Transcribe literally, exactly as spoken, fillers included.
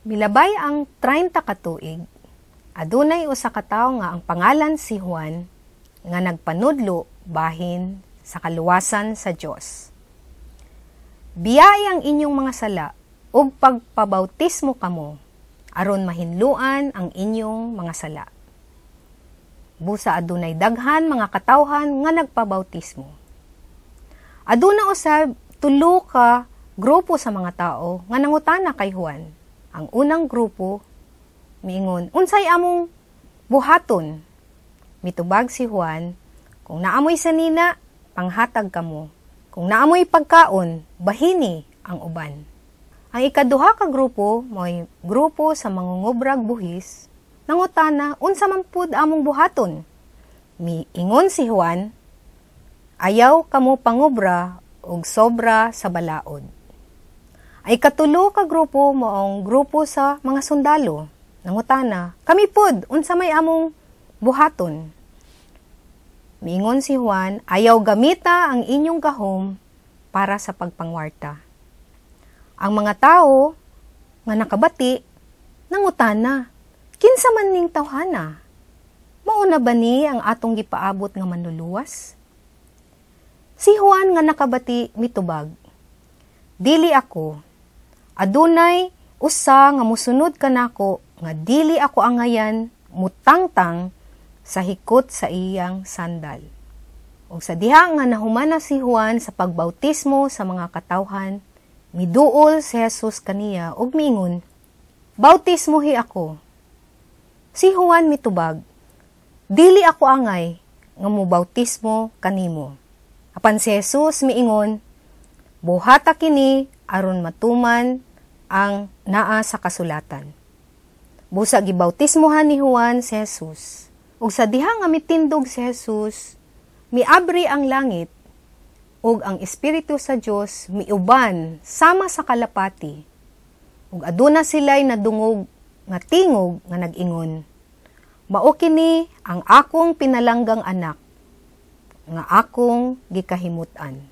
Milabay ang treinta ka tuig, adunay usa ka tawo nga ang pangalan si Juan nga nagpanudlo bahin sa kaluwasan sa Dios. "Biyai ang inyong mga sala ug pagpabautismo kamo aron mahinluan ang inyong mga sala." Busa adunay daghan mga katawhan nga nagpabautismo. Aduna usab tulo ka grupo sa mga tao nga nangutana kay Juan. Ang unang grupo miingon, "Unsay among buhaton?" Mitubag si Juan, "Kung naa moy sanina, panghatag kamo. Kung naa moy pagkaon, bahini ang uban." Ang ikaduha ka grupo mo'y grupo sa mangungubrag buhis, nangutana, "Unsa man pud among buhaton?" Miingon si Juan, "Ayaw kamo pangubra og sobra sa balaod." Ang ikatulo ka grupo maong grupo sa mga sundalo. Nangutana, "Kami pud, unsa may among buhaton?" Miingon si Juan, "Ayaw gamita ang inyong gahom para sa pagpangwarta." Ang mga tao nga nakabati, nangutana, "Kinsa man ning tawhana? Mao na ba ni ang atong gipaabot nga Manluluwas?" Si Juan nga nakabati mitubag, "Dili ako. Adunay usa nga musunod kanako nga dili ako angayan mutangtang sa hikot sa iyang sandal." Ug sa diha nga nahumana si Juan sa pagbautismo sa mga katawhan, miduol si Jesus kaniya ug miingon, "Bautismohi ako." Si Juan mitubag, "Dili ako angay nga mobautismo kanimo." Apan si Jesus miingon, "Buhata kini aron matuman ang naa sa kasulatan." Busa gibautismohan ni Juan si Jesus. Ug sa diha nga mitindog si Jesus, miabri ang langit ug ang Espiritu sa Dios miuban sama sa kalapati. Ug aduna sila'y nadungog nga tingog nga nag-ingon, "Mao kini ang akong pinalanggang anak nga akong gikahimut-an."